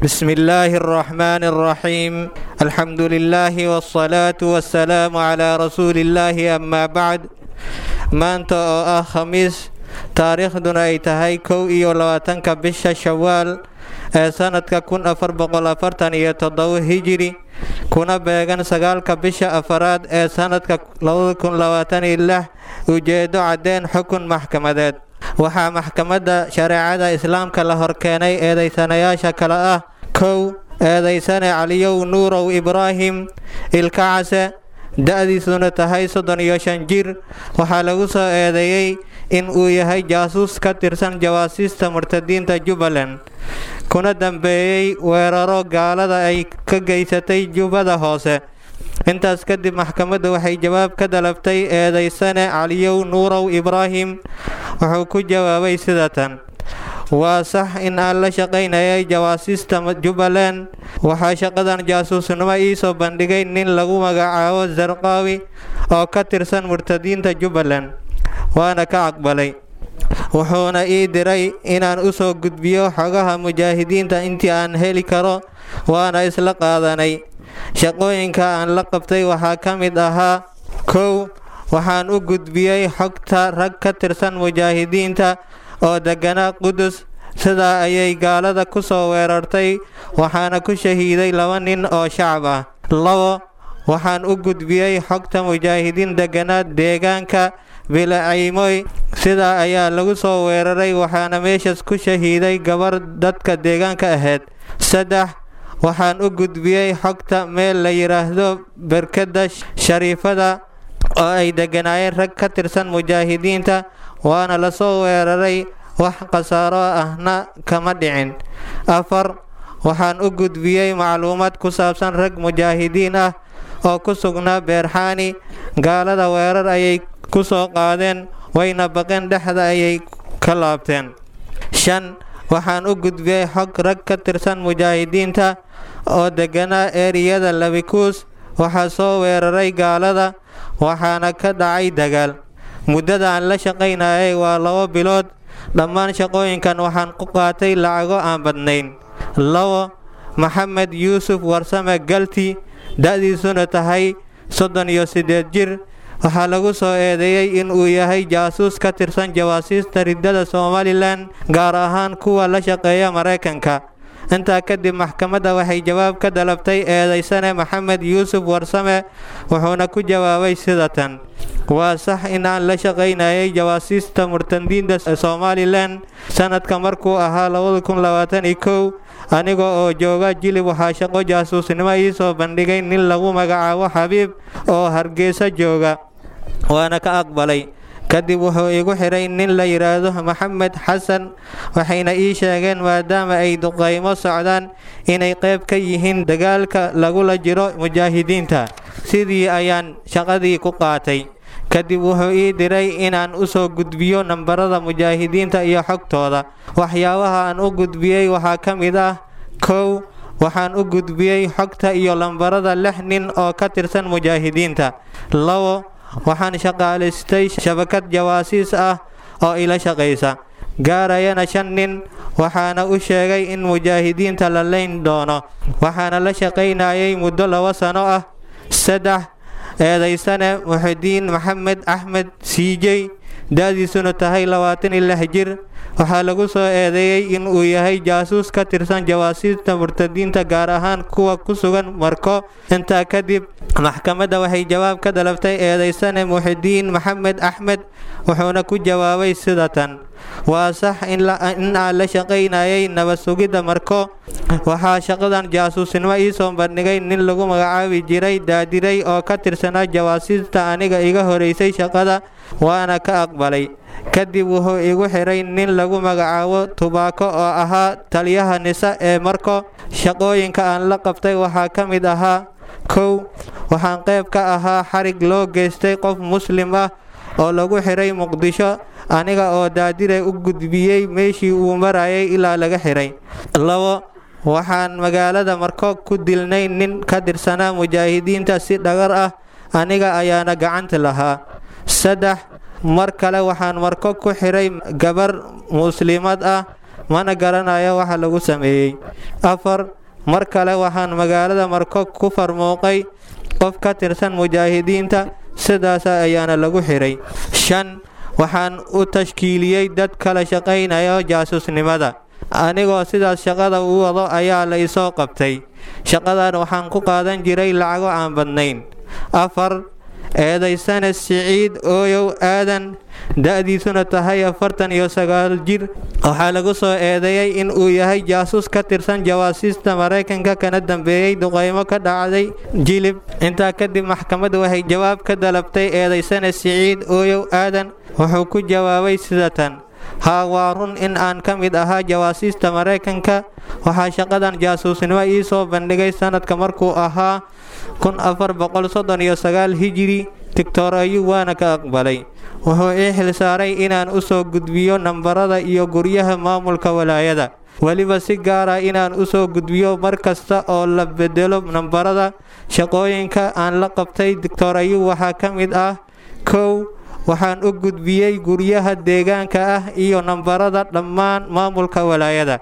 بسم الله الرحمن الرحيم، الحمد لله والصلاة والسلام على رسول الله، أما بعد. Maanta oo ah Khamiis, taariikhduna ay tahay 21-ka bisha Shawaal ee sanadka 1447 Hijiri, kuna beegan 9-ka bisha afaraad ee sanadka 2026. Ujeedo caddeen xukun maxkamadeed. Waxaa maxkamadda shareecada Islaamka la horkeenay eedaysanayaasha kale ah: 1, eedaysane Caliyow Nuurow Ibraahim Ilkacase, da'diisuna tahay 35 jir. Waxaa lagu soo eedeeyey in uu yahay jaasuus ka tirsan jawaasiista murtadiinta Jubbaland, kuna dambeeyey weeraro gaalada ay ka geysatay Jubbada Hoose. Intaas kadib maxkamaddu waxay jawaab ka dalabtay eedaysane Caliyow Nuurow Ibraahim. Wuxuu ku jawaabay sida tan: Waa sax in aan la shaqaynayay jawaasiista Jubbaland. Waxaa shaqadan jaasuusnimo ii soo bandhigay nin lagu magacaabo Zarqaawi oo ka tirsan murtadiinta Jubbaland, waana ka aqbalay. Wuxuuna ii diray inaan u soo gudbiyo xogaha mujaahidiinta intii aan heli karo, waana isla qaadanay. Shaqooyinka aan la qabtay waxaa ka mid ahaa: 1, waxaan u gudbiyey xogta rag ka tirsan mujaahidiinta oo deganaa Qudus. Sidaa ayay gaalada ku soo weerartay, waxaana ku shahiiday 2 nin oo shacab ah. 2, waxaan u gudbiyey xogta mujaahidiin deganaa deegaanka Bilacaymoy. Sidaa ayaa lagu soo weeraray, waxaana meeshaas ku shahiiday gabar dadka deegaanka ahayd. 3, waxaan u gudbiyey xogta meel la yidhaahdo Berkada Shariifada oo ay deganaayeen rag ka tirsan mujaahidiinta, waana la soo weeraray, wax khasaaro ahna kama dhicin. 4, waxaan u gudbiyey macluumaad ku saabsan rag mujaahidiin ah oo ku sugnaa Beerxaani. Gaalada weerar ayay ku soo qaadeen, wayna baqeen, dhexda ayay ka laabteen. 5, waxaan u gudbiyey xog rag ka tirsan mujaahidiinta oo deganaa eeriyada Labikuus. Waxaa soo weeraray gaalada, waxaana ka dhacay dagaal. Muddada aan la shaqaynayay waa 2 bilood. Dhammaan shaqooyinkan waxaan ku qaatay lacago aan badnayn. 2, Maxamed Yuusuf Warsame Galti, da'diisuna tahay 38 jir. Waxaa lagu soo eedeeyey in uu yahay jaasuus ka tirsan jawaasiista riddada Somalilan, gaar ahaan kuwa la shaqeeya Maraykanka. Intaa kadib maxkamadda waxay jawaab ka dalabtay eedaysane Maxamed Yuusuf Warsame. Wuxuuna ku jawaabay sida tan: Waa sax in aan la shaqaynayay jawaasiista murtadiinta Somalilan. Sanadka markuu ahaa 2021, aniga oo jooga Jilib, waxaa shaqo jaasuusnimo ii soo bandhigay nin lagu magacaabo Xabiib oo Hargeysa jooga, waana ka aqbalay. Kadib wuxuu igu xiray nin la yidhaahdo Maxamed Xasan, waxayna ii sheegeen maadaama ay duqaymo socdaan inay qayb ka yihiin dagaalka lagula jiro mujaahidiinta. Sidii ayaan shaqadii ku qaatay. Kadib wuxuu ii diray inaan u soo gudbiyo nambarada mujaahidiinta iyo xogtooda. Waxyaabaha aan u gudbiyey waxaa ka mid ah: 1, waxaan u gudbiyey xogta iyo lambarada 6 nin oo ka tirsan mujaahidiinta. 2, waxaan shaqaalaystay shabakad jawaasiis ah oo ila shaqaysa, gaarayana 5 nin, waxaana u sheegay in mujaahidiinta la leyn doono, waxaana la shaqaynayay muddo 2 sano ah. 3, eedaysane Muxidiin Maxamed Axmed Siijey, da'diisuna tahay 26 jir. Waxaa lagu soo eedeeyey in uu yahay jaasuus ka tirsan jawaasiista murtadiinta, gaar ahaan kuwa ku sugan Marko. Intaa kadib maxkamadda waxay jawaab ka dalabtay eedaysane Muxidiin Maxamed Axmed. Wuxuuna ku jawaabay sida tan: Waa sax in aan la shaqaynayay nabad sugidda Marko. Waxaa shaqadan jaasuusnimo ii soo bandhigay nin lagu magacaabi jiray Daadiray oo ka tirsanaa jawaasiista aniga iga horeysay shaqada, waana ka aqbalay. Kadib wuxuu igu xiray nin lagu magacaabo Tubaako oo ahaa taliyaha Nisa ee Marko. Shaqooyinka aan la qabtay waxaa ka mid ahaa: 1, waxaan qayb ka ahaa xarig loo geystay qof Muslim ah oo lagu xiray Muqdisho, aniga oo Daadiray u gudbiyey meeshii uu marayay ilaa laga xiray. 2, waxaan magaalada Marko ku dilnay nin ka tirsanaa mujaahidiinta si dhagar ah, aniga ayaana gacanta lahaa. 3, mar kale waxaan Marko ku xiray gabar muslimad ah. Mana garanayo waxa lagu sameeyey. 4, mar kale waxaan magaalada Marko ku farmuuqay qof ka tirsan mujaahidiinta, sidaas ayaana lagu xiray. 5, waxaan u tashkiiliyey dad kala shaqaynaya jaasusnimada. Anigoo sidaas shaqada u wado ayaa la isoo qabtay. Shaqadan waxaan ku qaadan jiray lacago aan badnayn. 4, eedaysane Siciid Ooyow Aadan, da'diisuna tahay 49 jir, waxaa lagu soo eedeeyey in uu yahay jaasuus ka tirsan jawaasiista Maraykanka, kana dambeeyey duqeymo ka dhacday Jilib. Intaa kadib maxkamaddu waxay jawaab ka dalabtay eedaysane Siciid Ooyow Aadan. Wuxuu ku jawaabay sida tan: Haa, waa run in aan ka mid ahaa jawaasiista Maraykanka. Waxaa shaqadan jaasuusnimo ii soo bandhigay sanadka markuu ahaa 1439 Hijiri Doctor Ayub, waana ka aqbalay. Wuxuu ii xilsaaray inaan u soo gudbiyo nambarada iyo guryaha maamulka walaayada, weliba si gaara inaan u soo gudbiyo mar kasta oo la bedelo nambarada. Shaqooyinka aan la qabtay Doctor Ayub waxaa ka mid ah: 1, waxaan u gudbiyey guryaha deegaanka ah iyo nambarada dhammaan maamulka walaayada.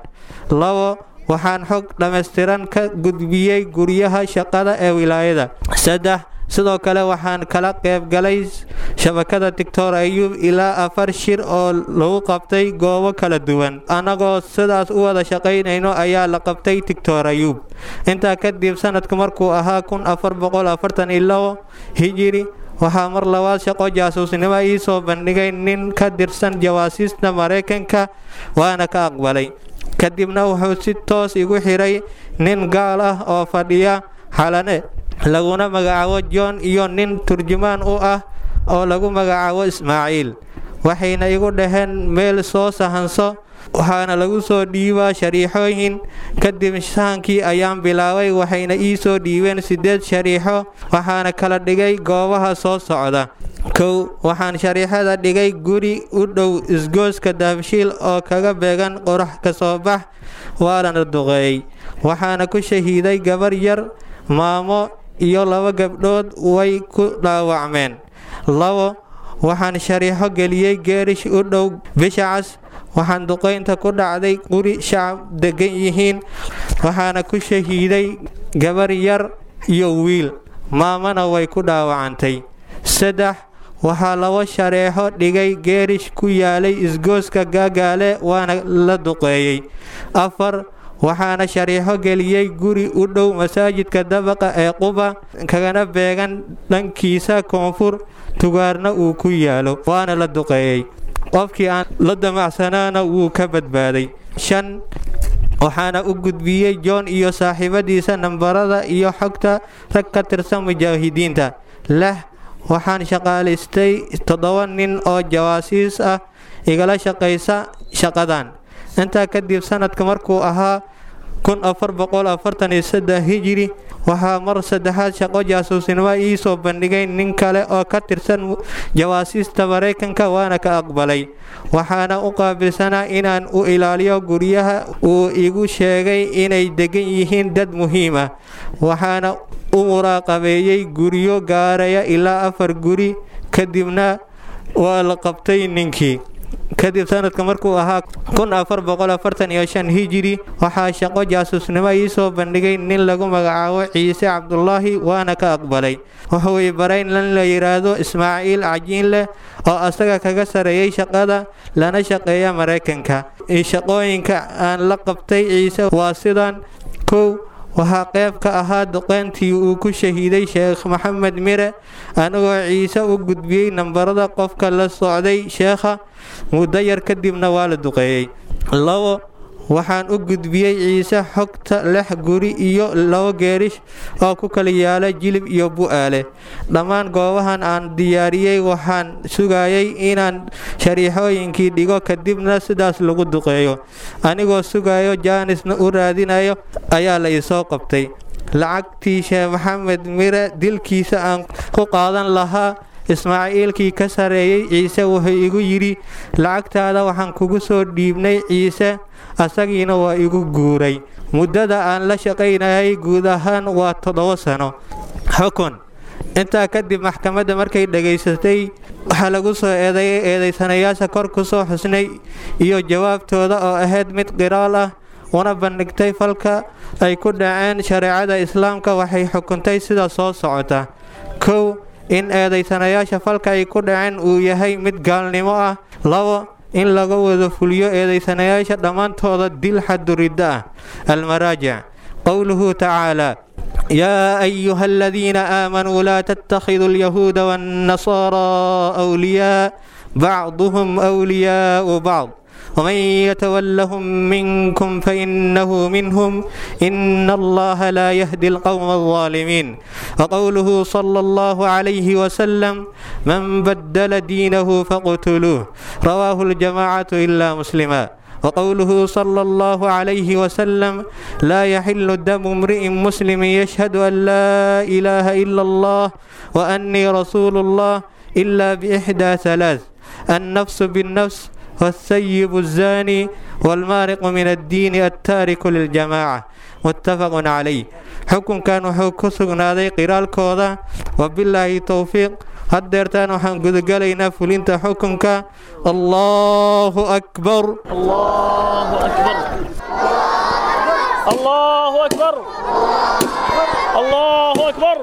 2, waxaan xog dhammaystiran ka gudbiyey guryaha shaqada ee wilaayada. 3, sidoo kale waxaan kala qaybgalay shabakada Doctor Ayub ilaa 4 shir oo lagu qabtay goobo kala duwan. Annagoo sidaas u wada shaqaynayno ayaa la qabtay Doctor Ayub. Intaa kadib sanadku markuu ahaa 1442 Hijiri, waxaa mar labaad shaqo jaasuusnimo ii soo bandhigay nin ka tirsan jawaasiista Maraykanka, waana ka aqbalay. Kadibna wuxuu si toos igu xiray nin gaal ah oo fadhiya Xalane laguna magacaabo John iyo nin turjumaan u ah oo lagu magacaabo Ismaaciil. Waxayna igu dhaheen meel soo sahanso, waxaana lagu soo dhiibaa shariixooyin. Kadib sahankii ayaan bilaabay, waxayna ii soo dhiibeen 8 shariixo, waxaana kala dhigay goobaha soo socda. 1, waxaan shariixada dhigay guri u dhow isgooska Dahabshiil oo kaga beegan qorax ka soo bax, waana duqeeyey. Waxaana ku shahiiday gabar yar, maamo iyo 2 gabdhood way ku dhaawacmeen. 2, waxaan shariixo geliyey geerish u dhow Bisha Cas. Waxaan duqeynta ku dhacday guri shacab degan yihiin, waxaana ku shahiiday gabar yar iyo wiil, maamana way ku dhaawacantay. 3, waxaa 2 shareexo dhigay geerish ku yaalay isgooska Gaagaale, waana la duqeeyey. 4, waxaana shariixo geliyey guri u dhow masaajidka dabaqa ee Quba, kagana beegan dhankiisa koonfur, tugaarna uu ku yaalo, waana la duqeeyey. Qofkii aan la damacsanaana wuu ka badbaaday. 5, waxaana u gudbiyey John iyo saaxiibadiisa nambarada iyo xogta rag ka tirsan mujaahidiinta. 6, waxaan shaqaalaystay 7 nin oo jawaasiis ah igala shaqaysa shaqadan. Intaa kadib sanadka markuu ahaa 1443 Hijiri, waxaa mar saddexaad shaqo jaasuusnimo ii soo bandhigay nin kale oo ka tirsan jawaasiista Maraykanka, waana ka aqbalay. Waxaana u qaabilsanaa inaan u ilaaliyo guryaha uu igu sheegay inay degan yihiin dad muhiim ah. Waxaana u muraaqabeeyey guryo gaaraya ilaa 4 guri, kadibna waa la qabtay ninkii. Kadib sanadka markuu ahaa 1445 Hijiri, waxaa shaqo jaasuusnimo ii soo bandhigay nin lagu magacaabo Ciise Cabdulaahi, waana ka aqbalay. Wuxuu i baray nin la yiraahdo Ismaaciil Cajiinleh oo asaga kaga sareeyay shaqada lana shaqeeya Maraykanka. Shaqooyinka aan la qabtay Ciise waa sidan: 1, waxaa qayb ka ahaa duqeyntii uu ku shahiiday Sheekh Maxamed Mire, anigoo Ciise u gudbiyey nambarada qofka la socday sheekha. Muddo yar kadibna waa la duqeeyey. 2, waxaan u gudbiyey Ciise xogta 6 guri iyo 2 geerish oo ku kala yaala Jilib iyo Bu'aale. Dhammaan goobahan aan diyaariyey waxaan sugayay inaan shariixooyinkii dhigo, kadibna sidaas lagu duqeeyo. Anigoo sugayo jaanisna u raadinayo ayaa la isoo qabtay. Lacagtii Sheekh Maxamed Mire dilkiisa aan ku qaadan lahaa, Ismaaciilkii ka sareeyey Ciise wuxuu igu yidhi: lacagtaada waxaan kugu soo dhiibnay Ciise, asagiina waa igu guuray. Muddada aan la shaqaynayay guud ahaan waa 7 sano. Xukun: Intaa kadib maxkamadda markay dhegaysatay waxaa lagu soo eedeeyay eedaysanayaasha kor ku soo xusnay iyo jawaabtooda oo ahayd mid qiraal ah, una bandhigtay falka ay ku dhaceen shareecada Islaamka, waxay xukuntay sida soo socota: 1, in eedaysanayaasha falka ay ku dhaceen uu yahay mid gaalnimo ah. 2, in laga wada fuliyo eedaysanayaasha dhammaantooda dil xaduridda ah. Almaraajic: qowluhu tacaala: يا أيها الذين آمنوا لا تتخذوا اليهود والنصارى أولياء بعضهم أولياء بعض ومن يتولهم منكم فإنه منهم إن الله لا يهدي القوم الظالمين. وقوله صلى الله عليه وسلم: من بدل دينه فاقتلوه، رواه الجماعة إلا مسلما. وقوله صلى الله عليه وسلم: لا يحل دم امرئ مسلم يشهد أن لا إله إلا الله وأني رسول الله إلا بإحدى ثلاث: النفس بالنفس، والثيب الزاني، والمارق من الدين التارك للجماعة، متفق عليه. Xukunkan wuxuu ku sugnaaday qiraalkooda. Wabilaahi towfiiq. Haddeertaan waxaan gudagalaynaa fulinta xukunka. Allahu akbar. الله أكبر، الله أكبر، الله أكبر.